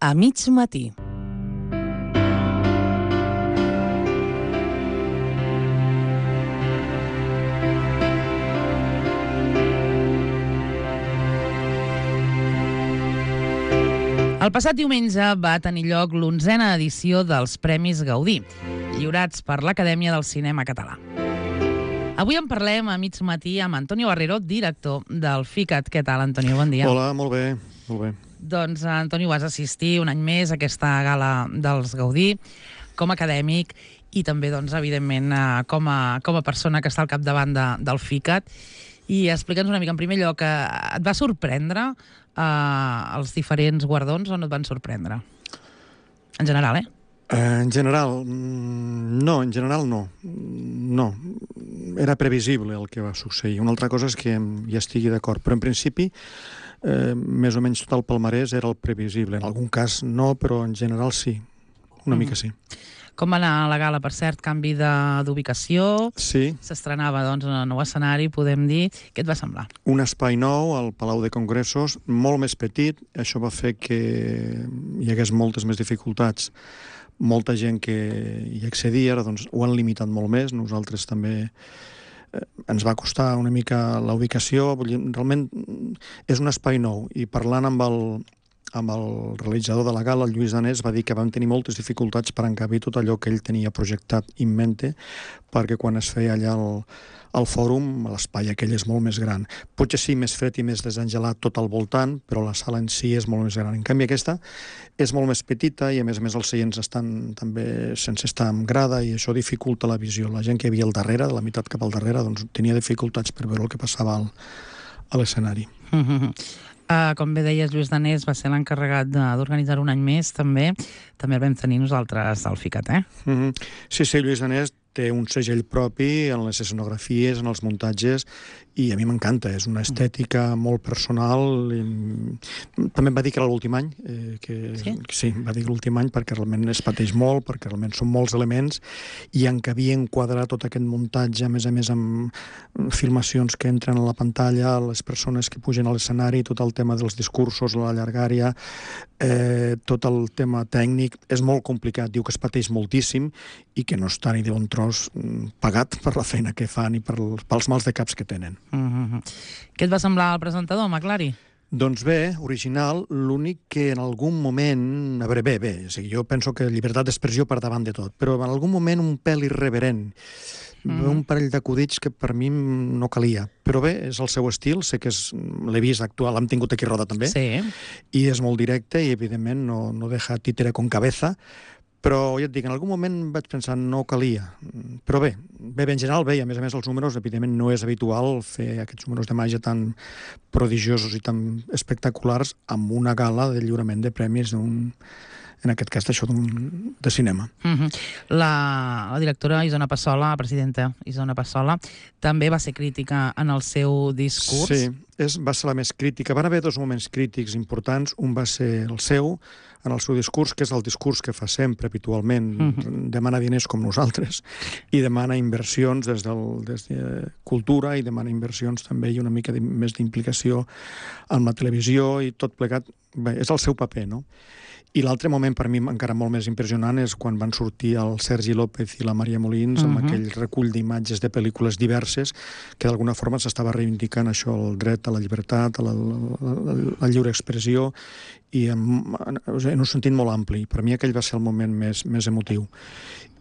A mig matí. El passat diumenge va tenir lloc l'11a edició dels Premis Gaudí, lliurats per l'Acadèmia del Cinema Català. Avui en parlem a mig matí amb Antonio Barrero, director del FICAT. Què tal, Antonio? Bon dia. Hola, molt bé, molt bé. Doncs, Antonio, vas assistir un any més a aquesta gala dels Gaudí com a acadèmic i també, doncs, evidentment, com a persona que està al capdavant del FICAT. I explica'ns una mica, en primer lloc, et va sorprendre els diferents guardons o no et van sorprendre? En general, En general, no, No. Era previsible el que va succeir. Una altra cosa és que hi estigui d'acord, però en principi més o menys tot el palmarès era el previsible. En algun cas no, però en general sí. Una mica sí. Com va anar la gala, per cert? Canvi d'ubicació? Sí. S'estrenava, doncs, en el nou escenari, podem dir. Què et va semblar? Un espai nou al Palau de Congressos, molt més petit. Això va fer que hi hagués moltes més dificultats. Molta gent que hi accedia, ara doncs, ho han limitat molt més. Nosaltres també ens va costar una mica la ubicació. Realment és un espai nou. I parlant amb el realitzador de la gala, el Lluís Danés, va dir que vam tenir moltes dificultats per encabir tot allò que ell tenia projectat in mente, perquè quan es feia allà al fòrum, l'espai aquell és molt més gran. Potser sí, més fred i més desengelat tot al voltant, però la sala en si és molt més gran. En canvi, aquesta és molt més petita i, a més, els seients estan també sense estar en grada i això dificulta la visió. La gent que hi havia al darrere, de la meitat cap al darrere, doncs tenia dificultats per veure el que passava a l'escenari. Com bé deies, Lluís Danés va ser l'encarregat d'organitzar un any més, també. També el vam tenir nosaltres al FICAT, Sí, Lluís Danés té un segell propi en les escenografies, en els muntatges, i a mi m'encanta. És una estètica molt personal. També em va dir que era l'últim any. Sí, va dir l'últim any perquè realment es pateix molt, perquè realment són molts elements, i en què havia enquadrat tot aquest muntatge, a més, amb filmacions que entren a la pantalla, les persones que pugen a l'escenari, tot el tema dels discursos, la llargària, tot el tema tècnic. És molt complicat. Diu que es pateix moltíssim i que no està ni de bon tros pagat per la feina que fan i pels mals de caps que tenen. Què et va semblar el presentador, McLary? Doncs bé, original, l'únic que en algun moment... A veure, bé, o sigui, jo penso que llibertat d'expressió per davant de tot, però en algun moment un pèl irreverent, un parell d'acudits que per mi no calia. Però bé, és el seu estil, sé que l'he vist actual, l'hem tingut aquí a Roda també, i és molt directe i evidentment no deja títere con cabeza, però ja et dic, en algun moment vaig pensar no calia, però bé, en general bé, i a més els números, evidentment no és habitual fer aquests números de màgia tan prodigiosos i tan espectaculars amb una gala de lliurament de premis en aquest cas de cinema. La directora Isona Passola, la presidenta Isona Passola, també va ser crítica en el seu discurs. Sí, va ser la més crítica. Van haver dos moments crítics importants. Un va ser el seu, en el seu discurs, que és el discurs que fa sempre, habitualment. Demana diners com nosaltres i demana inversions des de cultura i demana inversions també i una mica més d'implicació amb la televisió i tot plegat. Bé, és el seu paper, no? I l'altre moment, per mi, encara molt més impressionant, és quan van sortir el Sergi López i la Maria Molins amb aquell recull d'imatges de pel·lícules diverses que d'alguna forma s'estava reivindicant això, el dret a la llibertat, a la lliure expressió, i en un sentit molt ampli. Per mi aquell va ser el moment més emotiu.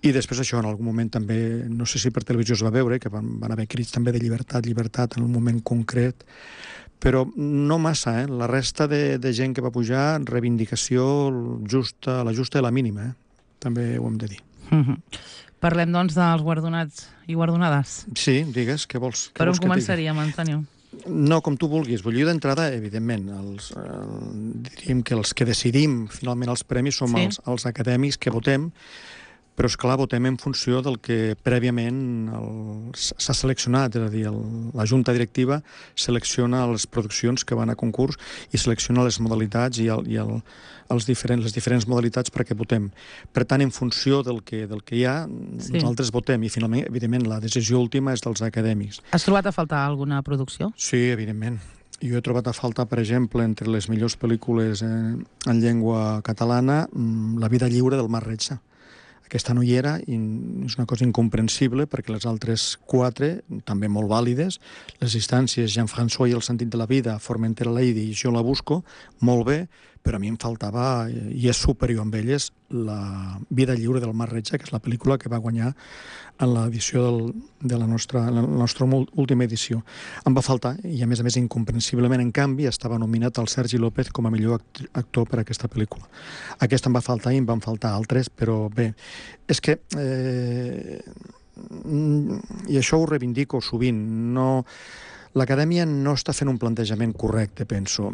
I després això, en algun moment també, no sé si per televisió es va veure, que van haver crits també de llibertat en un moment concret, però no massa, La resta de gent que va pujar, reivindicació justa, la justa i la mínima, també ho hem de dir. Parlem, doncs, dels guardonats i guardonades. Sí, digues, què vols? Per on començaríem, Antonio? No, com tu vulguis. Jo d'entrada, evidentment, diríem que els que decidim finalment els premis som els acadèmics que votem, però, esclar, votem en funció del que prèviament s'ha seleccionat, és a dir, la Junta Directiva selecciona les produccions que van a concurs i selecciona les modalitats i les diferents modalitats perquè votem. Per tant, en funció del que hi ha, nosaltres votem i, finalment, evidentment, la decisió última és dels acadèmics. Has trobat a faltar alguna producció? Sí, evidentment. jo he trobat a faltar, per exemple, entre les millors pel·lícules en llengua catalana, La vida lliure del Mar Retxa. Aquesta no hi era i és una cosa incomprensible perquè les altres 4, també molt vàlides, les instàncies Jean-François i el sentit de la vida, Formentera Lady i Jo la busco, molt bé, però a mi em faltava, i és superior amb elles, La vida lliure del Mar Retxa, que és la pel·lícula que va guanyar en l'edició de la nostra última edició. Em va faltar, i a més incomprensiblement, en canvi, estava nominat el Sergi López com a millor actor per a aquesta pel·lícula. Aquesta em va faltar i em van faltar altres, però bé, és que, i això ho reivindico sovint, l'Acadèmia no està fent un plantejament correcte, penso.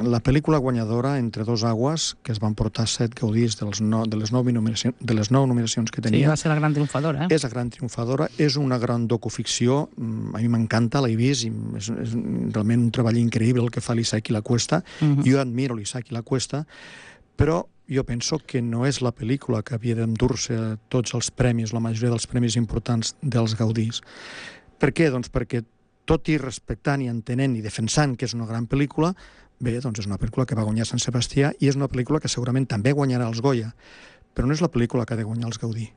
La pel·lícula guanyadora, Entre dos aguas, que es van portar 7 gaudís de les 9 nominacions que tenia... Sí, va ser la gran triomfadora. És la gran triomfadora, és una gran docuficció, a mi m'encanta, l'he vist, i és realment un treball increïble el que fa l'Isaac i la Cuesta. Jo admiro l'Isaac i la Cuesta, però jo penso que no és la pel·lícula que havia d'endur-se tots els premis, la majoria dels premis importants dels gaudís. Per què? Doncs perquè tot i respectant i entenent i defensant que és una gran pel·lícula, bé, doncs és una pel·lícula que va guanyar Sant Sebastià i és una pel·lícula que segurament també guanyarà els Goya, però no és la pel·lícula que ha de guanyar els Gaudí.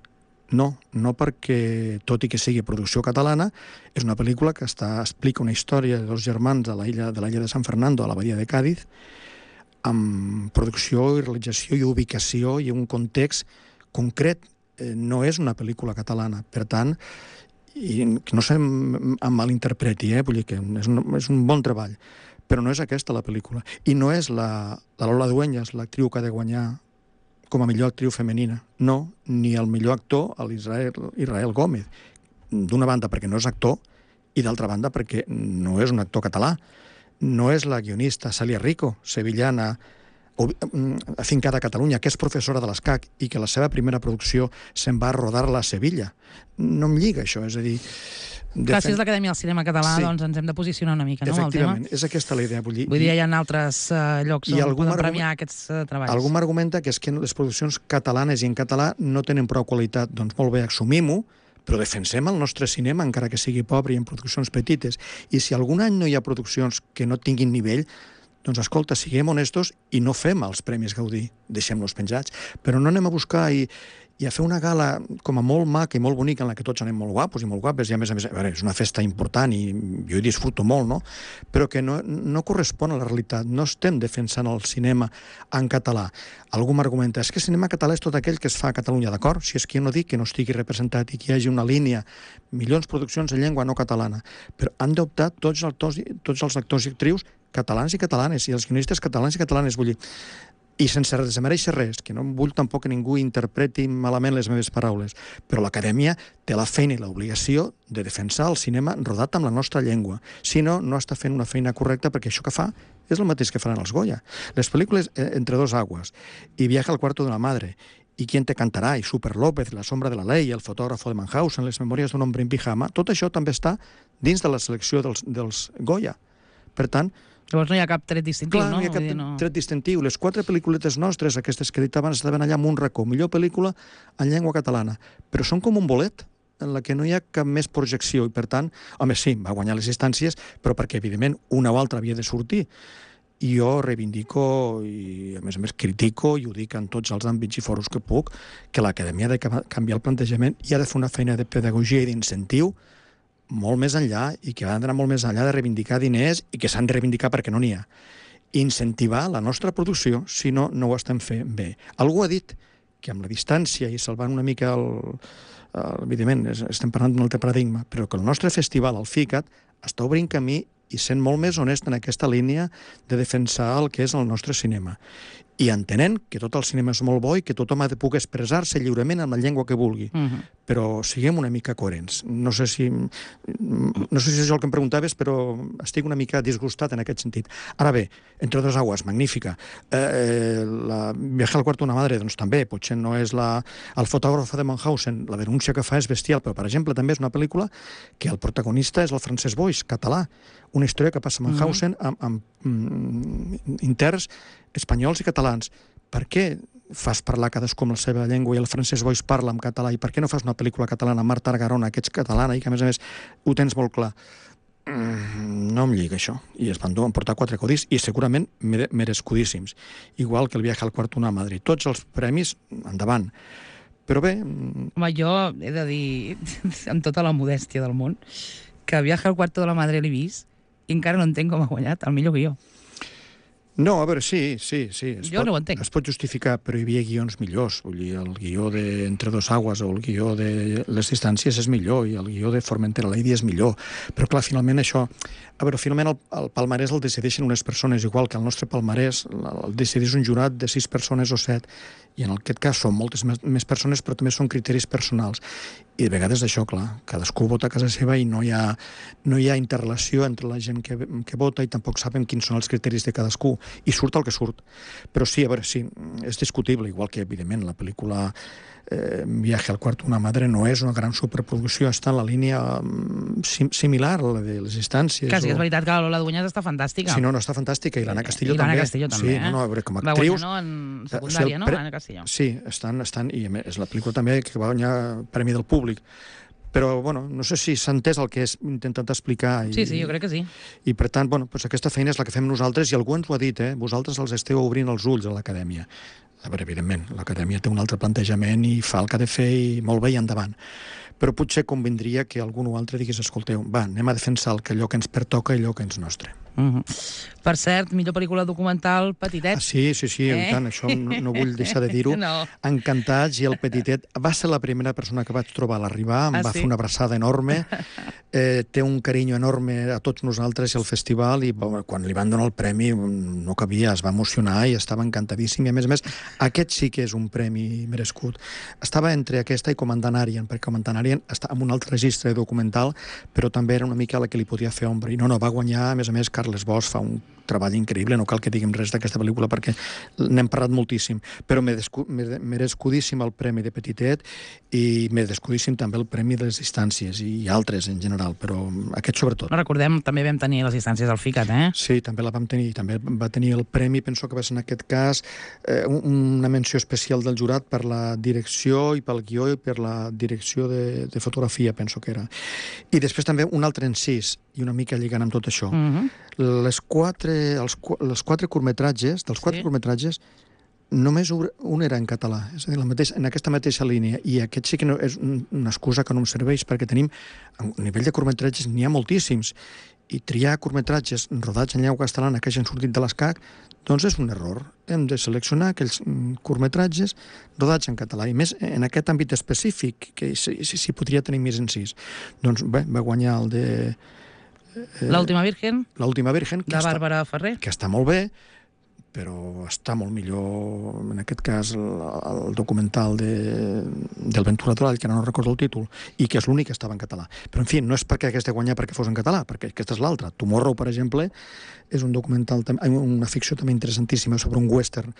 No perquè, tot i que sigui producció catalana, és una pel·lícula que explica una història de dos germans de l'illa de San Fernando, a la badia de Càdiz, amb producció i realització i ubicació i un context concret. No és una pel·lícula catalana, per tant, i que no se'm malinterpreti, vull dir que és un bon treball, però no és aquesta la pel·lícula. I no és la Lola Dueñas, l'actriu que ha de guanyar com a millor actriu femenina. No, ni el millor actor, l'Israel Gómez. D'una banda perquè no és actor i d'altra banda perquè no és un actor català. No és la guionista Celia Rico, sevillana, afincada a Catalunya, que és professora de l'ESCAC i que la seva primera producció se'n va a rodar-la a Sevilla. No em lliga això, és a dir... Gràcies a l'Acadèmia del Cinema Català, doncs ens hem de posicionar una mica, no, amb el tema? Efectivament, és aquesta la idea. Vull dir, hi ha altres llocs on poden premiar aquests treballs. Algú m'argumenta que és que les produccions catalanes i en català no tenen prou qualitat. Doncs molt bé, assumim-ho, però defensem el nostre cinema, encara que sigui pobre i en produccions petites. I si algun any no hi ha produccions que no tinguin nivell, doncs escolta, siguem honestos i no fem els Premis Gaudí, deixem-los penjats, però no anem a buscar i a fer una gala com a molt maca i molt bonica en la que tots anem molt guapos i molt guapes, i a més, és una festa important i jo hi disfruto molt, no? Però que no correspon a la realitat. No estem defensant el cinema en català. Algú m'argumenta, és que el cinema català és tot aquell que es fa a Catalunya, d'acord? Si és que jo no dic que no estigui representat i que hi hagi una línia, milions de produccions en llengua no catalana, però han d'optar tots els actors i actrius catalans i catalanes, i els guionistes catalans i catalanes, vull dir, i sense desmereixer res, que no vull tampoc que ningú interpreti malament les meves paraules, però l'Acadèmia té la feina i l'obligació de defensar el cinema rodat amb la nostra llengua. Si no, no està fent una feina correcta, perquè això que fa és el mateix que faran els Goya. Les pel·lícules Entre dos aguas i Viaje al cuarto de la madre i Quién te cantará, i Super López, La sombra de la ley, El fotògrafo de Mannhausen, Les memòries d'un hombre en pijama, tot això també està dins de la selecció dels Goya. Per tant, llavors no hi ha cap tret distintiu, no? Clar, no hi ha cap tret distintiu. Les 4 pel·lícules nostres, aquestes que he dit abans, estaven allà amb un racó. Millor pel·lícula en llengua catalana. Però són com un bolet en la que no hi ha cap més projecció. I per tant, home, sí, va guanyar les instàncies, però perquè, evidentment, una o altra havia de sortir. I jo reivindico i, a més, critico, i ho dic en tots els àmbits i foros que puc, que l'Acadèmia ha de canviar el plantejament i ha de fer una feina de pedagogia i d'incentiu molt més enllà, i que han d'anar molt més enllà de reivindicar diners i que s'han de reivindicar perquè no n'hi ha. Incentivar la nostra producció, si no, no ho estem fent bé. Algú ha dit que amb la distància i salvant una mica evidentment, estem parlant d'un altre paradigma, però que el nostre festival, el FICAT, està obrint camí i sent molt més honest en aquesta línia de defensar el que és el nostre cinema. I entenent que tot el cinema és molt bo i que tothom ha de poder expressar-se lliurement en la llengua que vulgui. Però siguem una mica coherents. No sé si és això el que em preguntaves, però estic una mica disgustat en aquest sentit. Ara bé, Entre dos aguas, magnífica. Viaje al cuarto de una madre, doncs també, potser no és el fotògrafo de Mannhausen, la denúncia que fa és bestial, però, per exemple, també és una pel·lícula que el protagonista és el Francesc Boix, català. Una història que passa a Mannhausen amb interns espanyols i catalans. Per què fas parlar cadascú amb la seva llengua i el Francesc Boix parla en català, i per què no fas una pel·lícula catalana, Marta Argarona, que ets catalana i que a més ho tens molt clar? No em lliga això. I es van emportar 4 Gaudís i segurament merescudíssims. Igual que el Viaje al Cuarto de Madrid. Tots els premis, endavant. Però bé... Home, jo he de dir, amb tota la modèstia del món, que Viaje al Cuarto de la Madre l'he vist i encara no entenc com ha guanyat el millor guió. No, a veure, sí. No ho entenc. Es pot justificar, però hi havia guions millors. Vull dir, el guió de Entre dos aguas o el guió de Les distàncies és millor i el guió de Formentera Lady és millor. Però, clar, finalment això... A veure, finalment el palmarès el decideixen unes persones, igual que el nostre palmarès el decideix un jurat de 6 persones o 7, i en aquest cas són moltes més persones, però també són criteris personals. I de vegades això, clar, cadascú vota a casa seva i no hi ha interrelació entre la gent que vota i tampoc saben quins són els criteris de cadascú. I surt el que surt. Però sí, a veure, sí, és discutible, igual que, evidentment, la pel·lícula Viaje al Cuarto de una Madre no és una gran superproducció, està en la línia similar a la de Les distàncies. Quasi, és veritat que la Lola Dueñas està fantàstica. Sí, no, està fantàstica, i l'Anna Castillo també. I l'Anna Castillo també, sí, no, a veure, com a actrius... Va guanyar, no?, en secundària, no?, l'Anna Castillo. Sí, estan, i a més, és la pel·lícula també que va guanyar Premi del Públic. Però, bueno, no sé si s'ha entès el que he intentat explicar. Sí, jo crec que sí. I, per tant, bueno, doncs aquesta feina és la que fem nosaltres, i algú ens ho ha dit, vosaltres els esteu obrint els ulls a l'acadèmia. A veure, evidentment, l'acadèmia té un altre plantejament i fa el que ha de fer i molt bé i endavant. Però potser convindria que algun o altre digués, escolteu, va, anem a defensar allò que ens pertoca i allò que és nostre. Per cert, millor pel·lícula documental, Petitet. Sí, i tant, això no vull deixar de dir-ho. No. Encantats, i el Petitet va ser la primera persona que vaig trobar a l'arribar, em va fer una abraçada enorme, té un carinyo enorme a tots nosaltres i al festival, i quan li van donar el premi no cabia, es va emocionar i estava encantadíssim, i a més, aquest sí que és un premi merescut. Estava entre aquesta i Comandant Arien, perquè Comandant Arien està en un altre registre documental, però també era una mica la que li podia fer ombra, i no, va guanyar, a més, Carles Bosch fa un treball increïble, no cal que diguem res d'aquesta pel·lícula perquè n'hem parlat moltíssim, però merescudíssim el Premi de Petitet i merescudíssim també el Premi de les Distàncies i altres en general, però aquest sobretot. Recordem, també vam tenir les Distàncies al FICAT, Sí, també la vam tenir, també va tenir el premi, penso que va ser en aquest cas una menció especial del jurat per la direcció i pel guió i per la direcció de fotografia, penso que era. I després també un altre encís, i una mica lligant amb tot això. Els quatre curtmetratges, curtmetratges, només un era en català, és a dir, en aquesta mateixa línia, i aquest sí que és una excusa que no em serveix, perquè tenim, a nivell de curtmetratges, n'hi ha moltíssims, i triar curtmetratges rodats en llengua catalana que hagin sortit de l'ESCAC, doncs és un error. Hem de seleccionar aquells curtmetratges rodats en català, i més en aquest àmbit específic, que s'hi podria tenir més encís. Doncs bé, va guanyar el de... L'última Virgen. L'última Virgen. De Bàrbara Ferrer. Que està molt bé, però està molt millor, en aquest cas, el documental del Ventura Doral, que no recordo el títol, i que és l'únic que estava en català. Però, en fi, no és perquè hagués de guanyar perquè fos en català, perquè aquesta és l'altra. Tomorrow, per exemple, és un documental, una ficció també interessantíssima sobre un western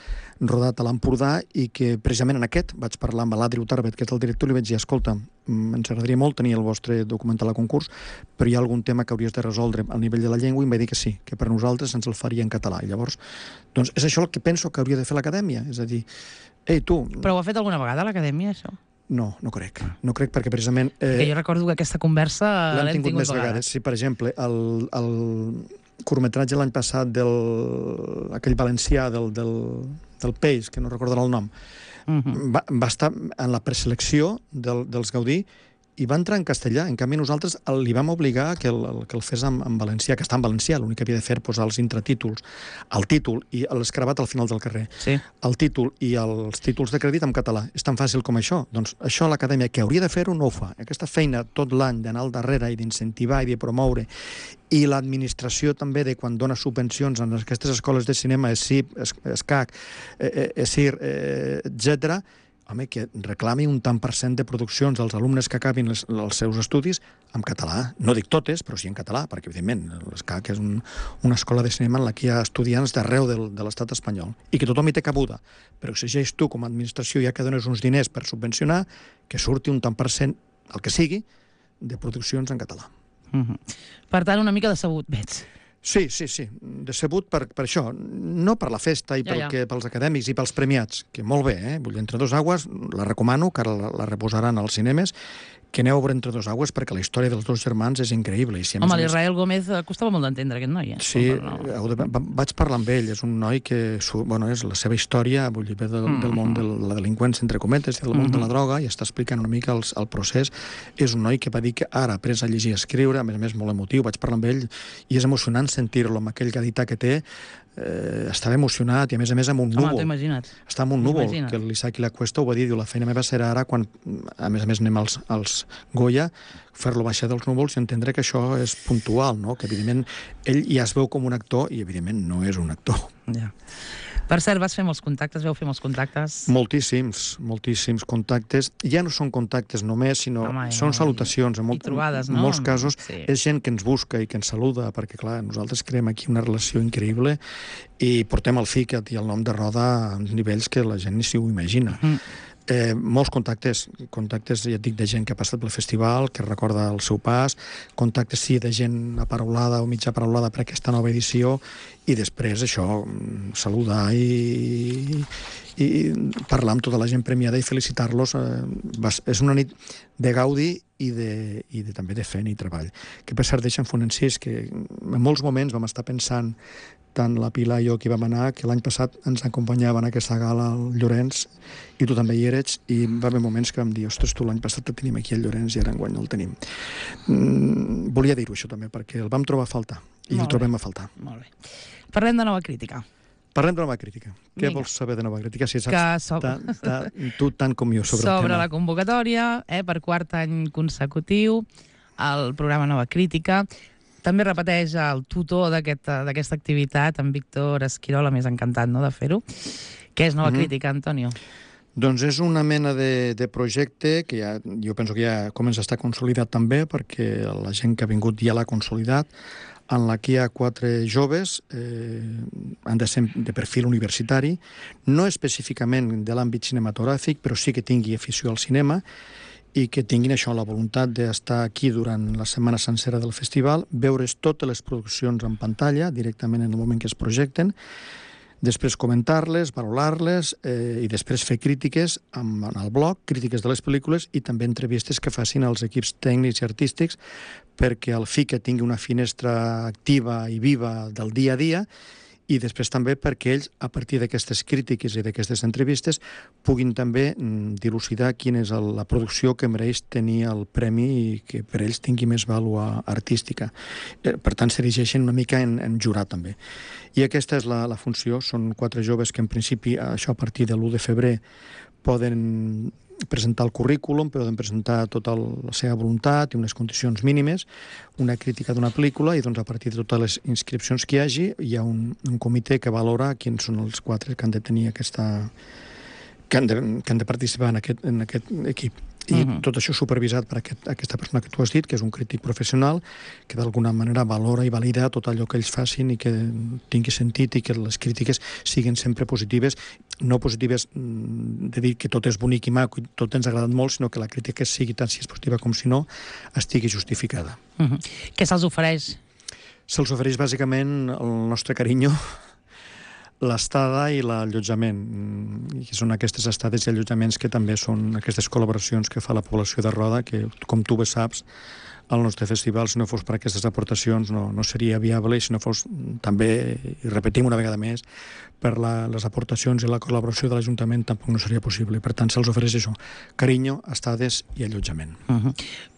rodat a l'Empordà, i que precisament en aquest vaig parlar amb l'Adri Utarbet, que és el director, i li vaig dir, escolta, ens agradaria molt tenir el vostre documental a concurs, però hi ha algun tema que hauries de resoldre al nivell de la llengua, i em va dir que sí, que per nosaltres ens el faria en català. I llavors, doncs és això el que penso que hauria de fer l'acadèmia, és a dir, ei, tu... Però ho ha fet alguna vegada l'acadèmia, això? No crec. No crec perquè precisament... Que jo recordo que aquesta conversa l'hem tingut més vegades. Sí, per exemple, el curtmetratge l'any passat aquell valencià del peix, que no recordarà el nom, va estar en la preselecció dels Gaudí i va entrar en castellà. En canvi, nosaltres li vam obligar que el fes en valencià, que està en valencià. L'únic que havia de fer posar els intratítols, el títol i l'escravat al final del carrer. Sí. El títol i els títols de crèdit en català. És tan fàcil com això. Doncs això l'acadèmia, que hauria de fer-ho, no ho fa. Aquesta feina tot l'any d'anar al darrere i d'incentivar i de promoure, i l'administració també de quan dona subvencions en aquestes escoles de cinema, ESIP, ESCAC, ESIR, etc., home, que reclami un tant per cent de produccions dels alumnes que acabin els seus estudis en català. No dic totes, però sí en català, perquè, evidentment, l'ESCAC és una escola de cinema en la que hi ha estudiants d'arreu de l'estat espanyol, i que tothom hi té cabuda. Però exigeix tu, com a administració, ja que dones uns diners per subvencionar, que surti un tant per cent, el que sigui, de produccions en català. Per tant, una mica decebut, veig. Sí, decebut per això, no per la festa i pels acadèmics i pels premiats, que molt bé, Vull dir, Entre dos aguas, la recomano, que ara la reposaran als cinemes, que aneu a veure Entre dos aigües, perquè la història dels dos germans és increïble. I si home, l'Israel Gómez costava molt d'entendre, aquest noi. Sí, vaig parlar amb ell. És un noi que, és la seva història, vull dir, ve del món de la delinqüència, entre cometes, del món de la droga, i està explicant una mica el procés. És un noi que va dir que ara ha après a llegir i a escriure, a més molt emotiu. Vaig parlar amb ell i és emocionant sentir-lo amb aquell gadità que té. Estava emocionat i a més amb un núvol. Home, t'ho imagina't. Està amb un núvol, que l'Isaac i la Cuesta ho va dir, diu, la feina meva serà ara quan, a més anem als Goya, fer-lo baixar dels núvols i entendre que això és puntual, no? Que evidentment ell ja es veu com un actor i evidentment no és un actor. Ja. Per cert, vas fer molts contactes, vau fer molts contactes? Moltíssims contactes. Ja no són contactes només, sinó són salutacions. I trobades, no? En molts casos és gent que ens busca i que ens saluda, perquè, clar, nosaltres creem aquí una relació increïble i portem el FICAT i el nom de Roda a nivells que la gent ni s'ho imagina. Molts contactes, ja et dic, de gent que ha passat pel festival, que recorda el seu pas, contactes, sí, de gent aparaulada o mitja aparaulada per aquesta nova edició, i després això, saludar i parlar amb tota la gent premiada i felicitar-los. És una nit de gaudi i també de feina i treball. Que per cert deixen fer un encís, que en molts moments vam estar pensant, tant la Pilar i jo que vam anar, que l'any passat ens acompanyaven a aquesta gala al Llorenç, i tu també hi eres, i va haver moments que vam dir, ostres, tu l'any passat el tenim aquí al Llorenç i ara enguany no el tenim. Volia dir-ho això també, perquè el vam trobar a faltar, i el trobem a faltar. Molt bé. Parlem de nova crítica. Parlem de nova crítica. Què vols saber de nova crítica? Si saps tu tant com jo sobre el tema. Sobre la convocatòria, per quart any consecutiu, el programa Nova Crítica. També repeteix el tutor d'aquesta activitat, en Víctor Esquirola, més encantat, no?, de fer-ho. Què és Nova Crítica, Antonio? Doncs és una mena de projecte que jo penso que ja comença a estar consolidat també, perquè la gent que ha vingut ja l'ha consolidat, en la que hi ha 4 joves, han de ser de perfil universitari, no específicament de l'àmbit cinematogràfic, però sí que tingui afició al cinema, i que tinguin això, la voluntat d'estar aquí durant la setmana sencera del festival, veure's totes les produccions en pantalla, directament en el moment que es projecten, després comentar-les, valorar-les i després fer crítiques en el blog, crítiques de les pel·lícules i també entrevistes que facin als equips tècnics i artístics perquè el FICA tingui una finestra activa i viva del dia a dia i després també perquè ells, a partir d'aquestes crítiques i d'aquestes entrevistes, puguin també dilucidar quina és la producció que mereix tenir el premi i que per ells tingui més vàlua artística. Per tant, s'erigeixen una mica en jurat també. I aquesta és la funció. Són 4 joves que en principi, això a partir de l'1 de febrer, poden presentar el currículum, poden presentar tota la seva voluntat i unes condicions mínimes, una crítica d'una pel·lícula i doncs a partir de totes les inscripcions que hi ha un comitè que valora quins són els 4 que han de tenir aquesta... que han de participar en aquest equip. I tot això supervisat per aquesta persona que tu has dit, que és un crític professional, que d'alguna manera valora i valida tot allò que ells facin i que tingui sentit i que les crítiques siguin sempre positives, no positives de dir que tot és bonic i maco i tot ens ha agradat molt, sinó que la crítica sigui tant si és positiva com si no, estigui justificada. Què se'ls ofereix? Se'ls ofereix bàsicament el nostre carinyo, l'estada i l'allotjament, que són aquestes estades i allotjaments que també són aquestes col·laboracions que fa la població de Roda, que, com tu bé saps, el nostre festival, si no fos per aquestes aportacions, no seria viable, i si no fos també, i repetim una vegada més, per les aportacions i la col·laboració de l'Ajuntament tampoc no seria possible. Per tant, se'ls ofereix això, carinyo, estades i allotjament.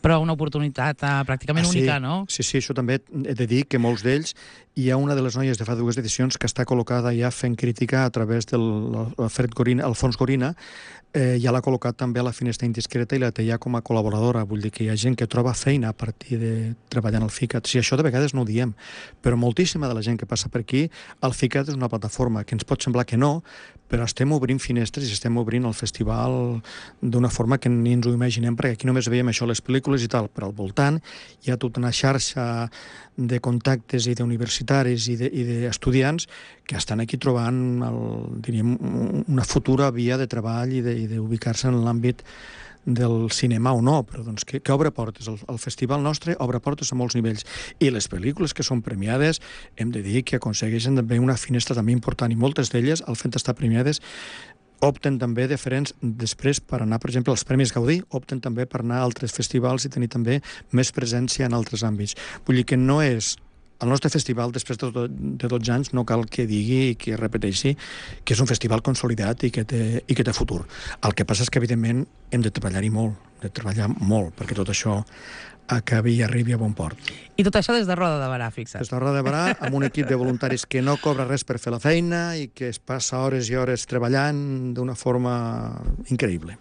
Però una oportunitat pràcticament única, no? Sí, això també he de dir que molts d'ells, hi ha una de les noies de fa 2 edicions que està col·locada ja fent crítica a través del Alfons Gorina, ja l'ha col·locat també a la finestra indiscreta i la té ja com a col·laboradora. Vull dir que hi ha gent que troba feina a partir de treballar en el FICAT. Si això de vegades no ho diem, però moltíssima de la gent que passa per aquí, el FICAT és una plataforma que ens pot semblar que no, però estem obrint finestres i estem obrint el festival d'una forma que ni ens ho imaginem, perquè aquí només veiem això, les pel·lícules i tal, però al voltant hi ha tota una xarxa de contactes i d'universitaris i d'estudiants que estan aquí trobant diríem, una futura via de treball i d'ubicar-se en l'àmbit del cinema o no, però doncs que obre portes. El festival nostre obre portes a molts nivells. I les pel·lícules que són premiades, hem de dir que aconsegueixen també una finestra també important, i moltes d'elles, al fet d'estar premiades, opten també diferents després per anar, per exemple, als Premis Gaudí, opten també per anar a altres festivals i tenir també més presència en altres àmbits. Vull dir que no és... El nostre festival, després de 12 anys, no cal que digui i que repeteixi que és un festival consolidat i que té futur. El que passa és que, evidentment, hem de treballar-hi molt, perquè tot això acabi i arribi a bon port. I tot això des de Roda de Barà, fixa't. Des de Roda de Barà, amb un equip de voluntaris que no cobra res per fer la feina i que es passa hores i hores treballant d'una forma increïble.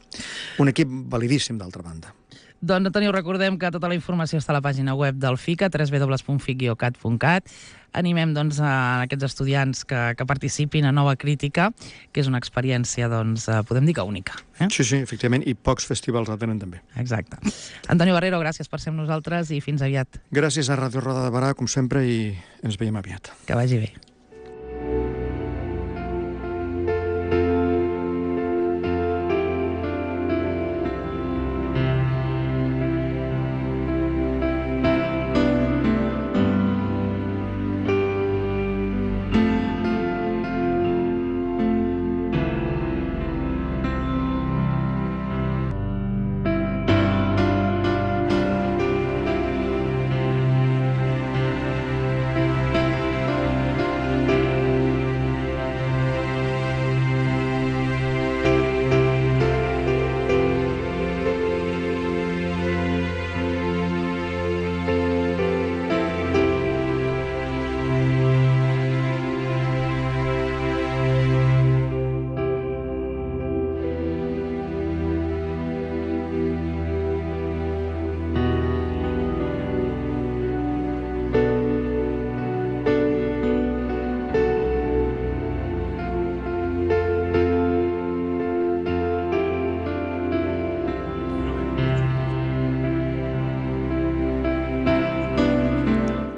Un equip validíssim, d'altra banda. Doncs, Antonio, recordem que tota la informació està a la pàgina web del FICA, www.fic-cat.cat. Animem doncs, a aquests estudiants que participin a Nova Crítica, que és una experiència, doncs, podem dir que única. Sí, efectivament, i pocs festivals la tenen també. Exacte. Antonio Barrero, gràcies per ser amb nosaltres i fins aviat. Gràcies a Ràdio Roda de Barà, com sempre, i ens veiem aviat. Que vagi bé.